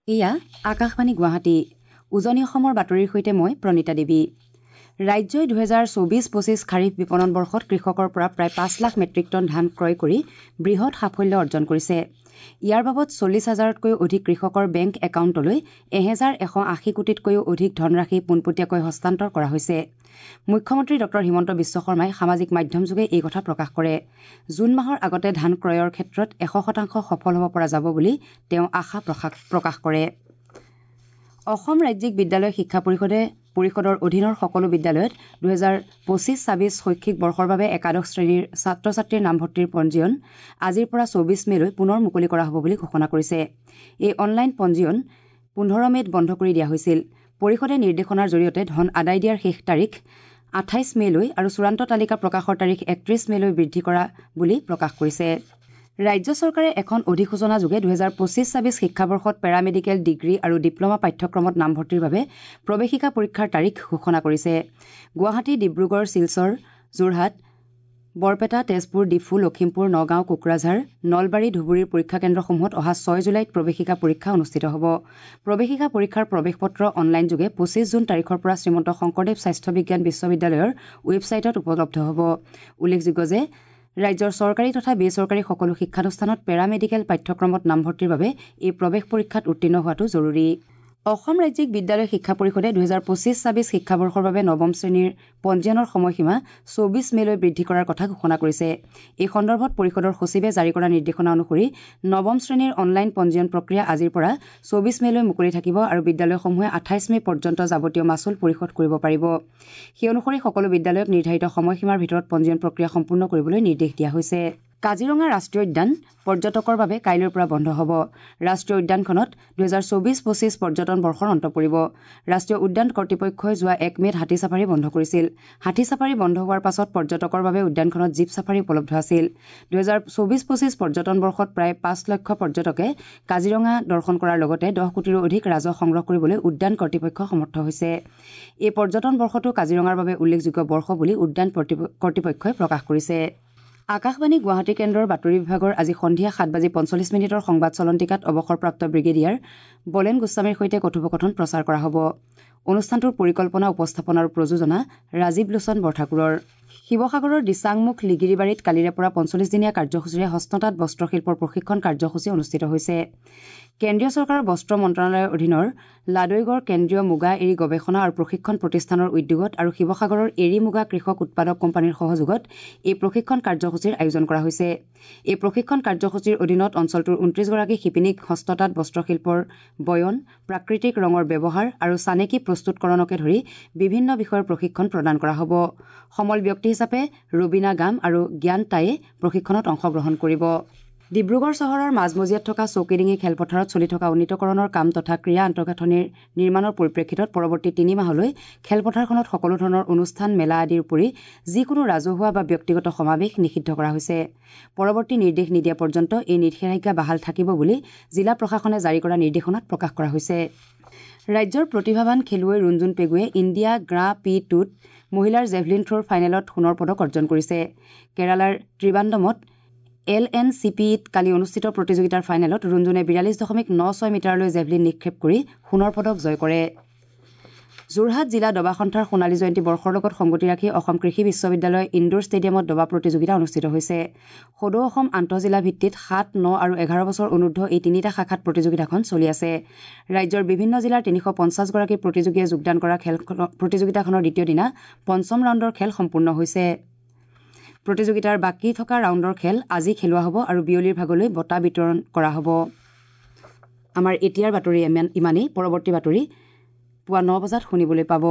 এয়া আকাশবাণী গুৱাহাটী, উজনি অসমৰ বাতৰিৰ সৈতে মই প্ৰণীতা দেৱী। ৰাজ্যই 2024-25 খাৰিফ বিপণন বৰ্ষত কৃষকৰ পৰা প্ৰায় 5 লাখ মেট্ৰিক টন ধান ক্ৰয় কৰি বৃহৎ সাফল্য অৰ্জন কৰিছে। ইয়াৰ বাবদ 40 হাজাৰতকৈও অধিক কৃষকৰ বেংক একাউণ্টলৈ 1180 কোটিতকৈও অধিক ধনৰাশি পোনপটীয়াকৈ হস্তান্তৰ কৰা হৈছে। মুখ্যমন্ত্ৰী ডঃ হিমন্ত বিশ্ব শৰ্মাই সামাজিক মাধ্যমযোগে এই কথা প্ৰকাশ কৰে। জুন মাহৰ আগতে ধান ক্ৰয়ৰ ক্ষেত্ৰত 100% সফল হ'ব পৰা যাব বুলি তেওঁ আশা প্ৰকাশ কৰে। অসম ৰাজ্যিক বিদ্যালয় শিক্ষা পৰিষদৰ অধীনৰ সকলো বিদ্যালয়ত 2025-26 শৈক্ষিক বৰ্ষৰ বাবে একাদশ শ্ৰেণীৰ ছাত্ৰ ছাত্ৰীৰ নামভৰ্তিৰ পঞ্জীয়ন আজিৰ পৰা 24 মে'লৈ পুনৰ মুকলি কৰা হ'ব বুলি ঘোষণা কৰিছে। এই অনলাইন পঞ্জীয়ন 15 মে'ত বন্ধ কৰি দিয়া হৈছিল। পৰিষদে নিৰ্দেশনাৰ জৰিয়তে ধন আদায় দিয়াৰ শেষ তাৰিখ 28 মে'লৈ আৰু চূড়ান্ত তালিকা প্ৰকাশৰ তাৰিখ 31 মে'লৈ বৃদ্ধি কৰা বুলি প্ৰকাশ কৰিছে। ৰাজ্য চৰকাৰে এখন অধিসূচনাযোগে 2025-26 শিক্ষাবৰ্ষত পেৰামেডিকেল ডিগ্ৰী আৰু ডিপ্লমা পাঠ্যক্ৰমত নামভৰ্তিৰ বাবে প্ৰৱেশিকা পৰীক্ষাৰ তাৰিখ ঘোষণা কৰিছে। গুৱাহাটী, ডিব্ৰুগড়, শিলচৰ, যোৰহাট, বৰপেটা, তেজপুৰ, ডিফু, লখিমপুৰ, নগাঁও, কোকৰাঝাৰ, নলবাৰী, ধুবুৰীৰ পৰীক্ষা কেন্দ্ৰসমূহত অহা 6 জুলাইত প্ৰৱেশিকা পৰীক্ষা অনুষ্ঠিত হ'ব। প্ৰৱেশিকা পৰীক্ষাৰ প্ৰৱেশপত্ৰ অনলাইনযোগে 25 জুন তাৰিখৰ পৰা শ্ৰীমন্ত শংকৰদেৱ স্বাস্থ্য বিজ্ঞান বিশ্ববিদ্যালয়ৰ ৱেবছাইটত উপলব্ধ হ'ব। উল্লেখযোগ্য যে ৰাজ্যৰ চৰকাৰী তথা বেচৰকাৰী সকলো শিক্ষানুষ্ঠানত পেৰামেডিকেল পাঠ্যক্ৰমত নামভৰ্তিৰ বাবে এই প্ৰৱেশ পৰীক্ষাত উত্তীৰ্ণ হোৱাটো জৰুৰী। অসম ৰাজ্যিক বিদ্যালয় শিক্ষা পৰিষদে 2025-26 শিক্ষাবৰ্ষৰ বাবে নৱম শ্ৰেণীৰ পঞ্জীয়নৰ সময়সীমা 24 মে'লৈ বৃদ্ধি কৰাৰ কথা ঘোষণা কৰিছে। এই সন্দৰ্ভত পৰিষদৰ সচিবে জাৰি কৰা নিৰ্দেশনা অনুসৰি নৱম শ্ৰেণীৰ অনলাইন পঞ্জীয়ন প্ৰক্ৰিয়া আজিৰ পৰা 24 মে'লৈ মুকলি থাকিব আৰু বিদ্যালয়সমূহে 28 মে' পৰ্যন্ত যাৱতীয় মাচুল পৰিশোধ কৰিব পাৰিব। সেই অনুসৰি সকলো বিদ্যালয়ক নিৰ্ধাৰিত সময়সীমাৰ ভিতৰত পঞ্জীয়ন প্ৰক্ৰিয়া সম্পূৰ্ণ কৰিবলৈ নিৰ্দেশ দিয়া হৈছে। কাজিৰঙা ৰাষ্ট্ৰীয় উদ্যান পৰ্যটকৰ বাবে কাইলৈৰ পৰা বন্ধ হ'ব। ৰাষ্ট্ৰীয় উদ্যানখনত 2024-25 পৰ্যটন বৰ্ষৰ অন্ত পৰিব। ৰাষ্ট্ৰীয় উদ্যান কৰ্তৃপক্ষই যোৱা 1 মে'ত হাতী চাফাৰী বন্ধ কৰিছিল। হাতী চাফাৰী বন্ধ হোৱাৰ পাছত পৰ্যটকৰ বাবে উদ্যানখনত জীপ চাফাৰী উপলব্ধ আছিল। 2024-25 পৰ্যটন বৰ্ষত প্ৰায় 5 লক্ষ পৰ্যটকে কাজিৰঙা দৰ্শন কৰাৰ লগতে 10 কোটিৰো অধিক ৰাজহ সংগ্ৰহ কৰিবলৈ উদ্যান কৰ্তৃপক্ষ সমৰ্থ হৈছে। এই পৰ্যটন বৰ্ষটো কাজিৰঙাৰ বাবে উল্লেখযোগ্য বৰ্ষ বুলি উদ্যান কৰ্তৃপক্ষই প্ৰকাশ কৰিছে। আকাশবাণী গুৱাহাটী কেন্দ্ৰৰ বাতৰি বিভাগৰ আজি সন্ধিয়া 7:45 সংবাদ চলন্তিকাত অৱসৰপ্ৰাপ্ত ব্ৰিগেডিয়াৰ বলেন গোস্বামীৰ সৈতে কথোপকথন প্ৰচাৰ কৰা হ'ব। অনুষ্ঠানটোৰ পৰিকল্পনা, উপস্থাপন আৰু প্ৰযোজনা ৰাজীৱ লোচন বৰঠাকুৰৰ। শিৱসাগৰৰ দিচাংমুখ লিগিৰিবাৰীত কালিৰে পৰা 45 দিনীয়া কাৰ্যসূচীৰে হস্ততাঁত বস্ত্ৰশিল্পৰ প্ৰশিক্ষণ কাৰ্যসূচী অনুষ্ঠিত হৈছে। কেন্দ্ৰীয় চৰকাৰৰ বস্ত্ৰ মন্ত্ৰণালয়ৰ অধীনৰ লাদৈগড় কেন্দ্ৰীয় মুগা এৰী গৱেষণা আৰু প্ৰশিক্ষণ প্ৰতিষ্ঠানৰ উদ্যোগত আৰু শিৱসাগৰৰ এৰী মুগা কৃষক উৎপাদক কোম্পানীৰ সহযোগত এই প্ৰশিক্ষণ কাৰ্যসূচীৰ আয়োজন কৰা হৈছে। এই প্ৰশিক্ষণ কাৰ্যসূচীৰ অধীনত অঞ্চলটোৰ 29 গৰাকী শিপিনীক হস্ততাঁত বস্ত্ৰশিল্পৰ বয়ন, প্ৰাকৃতিক ৰঙৰ ব্যৱহাৰ আৰু চানেকি প্ৰস্তুতকৰণকে ধৰি বিভিন্ন বিষয়ৰ প্ৰশিক্ষণ প্ৰদান কৰা হ'ব। সমল ব্যক্তি হিচাপে ৰবীনা গাম আৰু জ্ঞান টায়ে প্ৰশিক্ষণত অংশগ্ৰহণ কৰিব। ডিব্ৰুগড় চহৰৰ মাজমজিয়াত থকা চৌকিডিঙি খেলপথাৰত চলি থকা উন্নীতকৰণৰ কাম তথা ক্ৰীড়া আন্তঃগাঁথনিৰ নিৰ্মাণৰ পৰিপ্ৰেক্ষিতত পৰৱৰ্তী 3 মাহলৈ খেলপথাৰখনত সকলো ধৰণৰ অনুষ্ঠান, মেলা আদিৰ উপৰি যিকোনো ৰাজহুৱা বা ব্যক্তিগত সমাৱেশ নিষিদ্ধ কৰা হৈছে। পৰৱৰ্তী নিৰ্দেশ নিদিয়া পৰ্যন্ত এই নিষেধাজ্ঞা বাহাল থাকিব বুলি জিলা প্ৰশাসনে জাৰি কৰা নিৰ্দেশনাত প্ৰকাশ কৰা হৈছে। ৰাজ্যৰ প্ৰতিভাৱান খেলুৱৈ ৰুণজুন পেগুৱে ইণ্ডিয়া গ্ৰাঁ পি 2ত মহিলাৰ জেভলিন থ্ৰ'ৰ ফাইনেলত সোণৰ পদক অৰ্জন কৰিছে। কেৰালাৰ ত্ৰিবান্দমত LNCPত কালি অনুষ্ঠিত প্ৰতিযোগিতাৰ ফাইনেলত ৰুণজুনে 42.96 মিটাৰলৈ জেভলিন নিক্ষেপ কৰি সোণৰ পদক জয় কৰে। যোৰহাট জিলা দবা সন্থাৰ সোণালী জয়ন্তী বৰ্ষৰ লগত সংগতি ৰাখি অসম কৃষি বিশ্ববিদ্যালয় ইণ্ডোৰ ষ্টেডিয়ামত দবা প্ৰতিযোগিতা অনুষ্ঠিত হৈছে। সদৌ অসম আন্তঃজিলা ভিত্তিত 7, 9 আৰু 11 বছৰ অনুৰ্ধ এই 3টা শাখাত প্ৰতিযোগিতাখন চলি আছে। ৰাজ্যৰ বিভিন্ন জিলাৰ 350 গৰাকী প্ৰতিযোগীয়ে যোগদান কৰা প্ৰতিযোগিতাখনৰ দ্বিতীয় দিনা পঞ্চম ৰাউণ্ডৰ খেল সম্পূৰ্ণ হৈছে। প্ৰতিযোগিতাৰ বাকী থকা ৰাউণ্ডৰ খেল আজি খেলোৱা হ'ব আৰু বিয়লিৰ ভাগলৈ বঁটা বিতৰণ কৰা হ'ব। আমাৰ এতিয়াৰ বাতৰি ইমানেই। পৰৱৰ্তী বাতৰি পুৱা 9 বজাত শুনিবলৈ পাব।